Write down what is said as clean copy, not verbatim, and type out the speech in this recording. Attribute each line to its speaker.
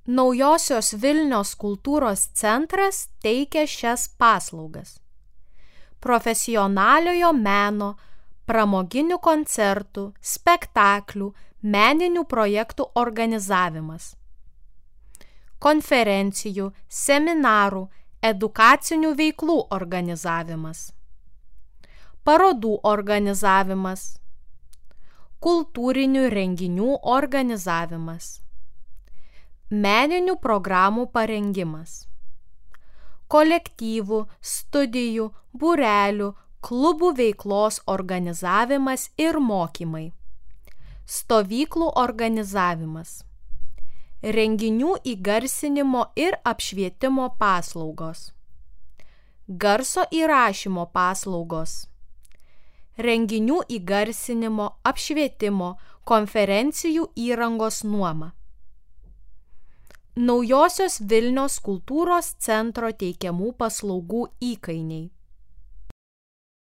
Speaker 1: Naujosios Vilnios kultūros centras teikia šias paslaugas: profesionaliojo meno, pramoginių koncertų, spektaklių, meninių projektų organizavimas, konferencijų, seminarų, edukacinių veiklų organizavimas, parodų organizavimas, kultūrinių renginių organizavimas, meninių programų parengimas, kolektyvų, studijų, būrelių, klubų veiklos organizavimas ir mokymai, stovyklų organizavimas, renginių įgarsinimo ir apšvietimo paslaugos, garso įrašymo paslaugos, renginių įgarsinimo, apšvietimo, konferencijų įrangos nuoma. Naujosios Vilnios kultūros centro teikiamų paslaugų įkainiai.